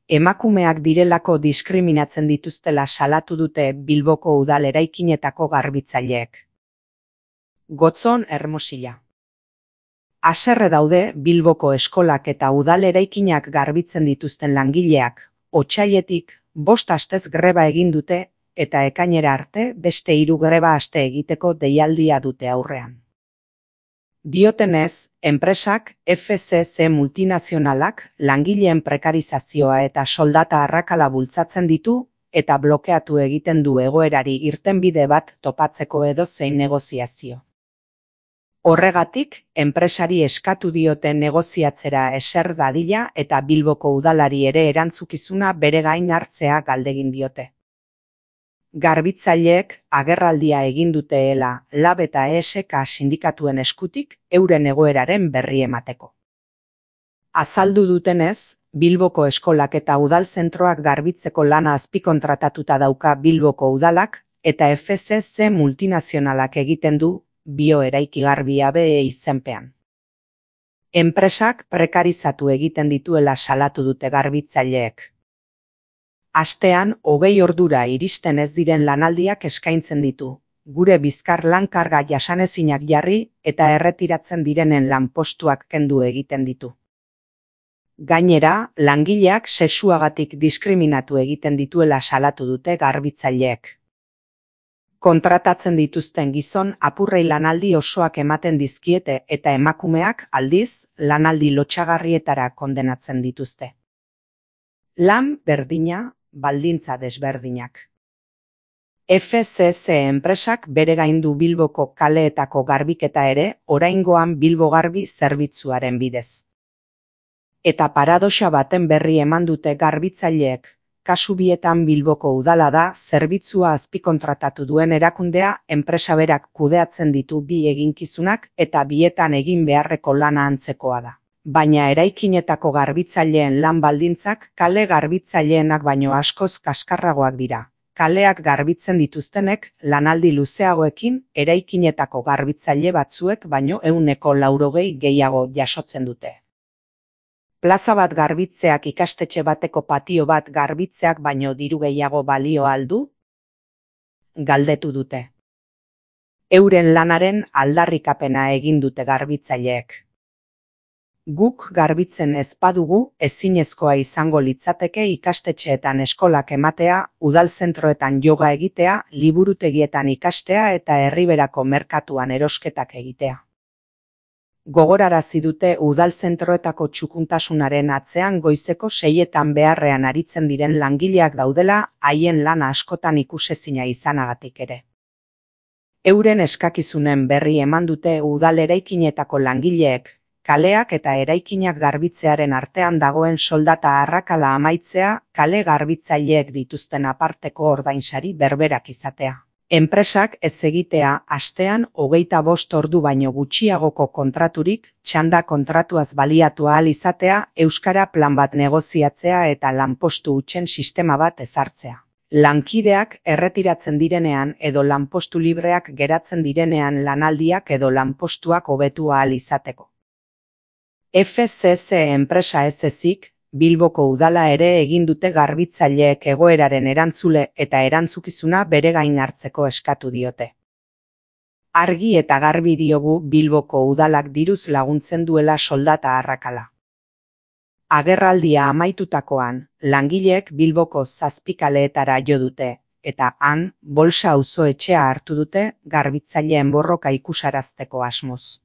emakumeak direlako diskriminatzen dituztela salatu dute Bilboko udal eraikinetako garbitzaileek. Gotzon Hermosilla. Haserre daude Bilboko eskolak eta udal eraikinak garbitzen dituzten langileak, otsailetik 5 astez greba egin dute eta ekainera arte beste 3 greba aste egiteko deialdia dute aurrean. Diotenez, enpresak FCC multinazionalak langileen prekarizazioa eta soldata arrakala bultzatzen ditu eta blokeatu egiten du egoerari irtenbide bat topatzeko edozein negoziazio. Horregatik, enpresari eskatu diote negoziatzera eser dadila eta Bilboko udalari ere erantzukizuna bere gain hartzea galdegin diote. Garbitzaileek agerraldia egin duteela LAB eta ESK sindikatuen eskutik euren egoeraren berri emateko. Azaldu dutenez, Bilboko eskolak eta udal zentroak garbitzeko lana azpikontratatuta dauka Bilboko udalak eta FCC multinazionalak egiten du bioeraiki garbi AB izenpean. Enpresak prekarizatu egiten dituela salatu dute garbitzaileek. Astean 20 ordura iristen ez diren lanaldiak eskaintzen ditu, gure bizkar lan karga jasanezinak jarri eta erretiratzen direnen lanpostuak kendu egiten ditu. Gainera, langileak sexuagatik diskriminatu egiten dituela salatu dute garbitzaileek. Kontratatzen dituzten gizon apurrei lanaldi osoak ematen dizkiete eta emakumeak aldiz lanaldi lotsagarrietara kondenatzen dituzte. Lan berdina, baldintza desberdinak. FCC enpresak bere gain du Bilboko kaleetako garbiketa ere oraingoan Bilbo Garbi zerbitzuaren bidez. Eta paradoxa baten berri eman dute garbitzaileek, kasu bietan Bilboko udala da zerbitzua azpikontratatu duen erakundea enpresa berak kudeatzen ditu bi eginkizunak eta bietan egin beharreko lana antzekoa da. Baina eraikinetako garbitzaileen lan baldintzak kale garbitzaileenak baino askoz kaskarragoak dira. Kaleak garbitzen dituztenek lanaldi luzeagoekin eraikinetako garbitzaile batzuek baino 180 gehiago jasotzen dute. Plaza bat garbitzeak ikastetxe bateko patio bat garbitzeak baino diru gehiago balio al du? Galdetu dute. Euren lanaren aldarrikapena egin dute garbitzaileek. Guk garbitzen ez badugu ezinezkoa izango litzateke ikastetxeetan eskolak ematea, udalzentroetan yoga egitea, liburutegietan ikastea eta herriberako merkatuan erosketak egitea. Gogorarazi dute udalzentroetako txukuntasunaren atzean goizeko 6etan beharrean aritzen diren langileak daudela haien lana askotan ikusezina izanagatik ere. Euren eskakizunen berri eman dute udal eraikinetako langileek, kaleak eta eraikinak garbitzearen artean dagoen soldata arrakala amaitzea, kale garbitzaileek dituzten aparteko ordainsari berberak izatea. Enpresak ez egitea astean 25 ordu baino gutxiagoko kontraturik, txanda kontratuaz baliatu ahal izatea, euskara plan bat negoziatzea eta lanpostu hutsen sistema bat ezartzea. Lankideak erretiratzen direnean edo lanpostu libreak geratzen direnean lanaldiak edo lanpostuak hobetu ahal izateko. FCC enpresa ez ezik, Bilboko udala ere egin dute garbitzaileek egoeraren erantzule eta erantzukizuna bere gain hartzeko eskatu diote. Argi eta garbi diogu Bilboko udalak diruz laguntzen duela soldata arrakala. Agerraldia amaitutakoan, langileek Bilboko 7 kaleetara jo dute, eta han, Bolsa auzoetxea hartu dute garbitzaileen borroka ikusarazteko asmoz.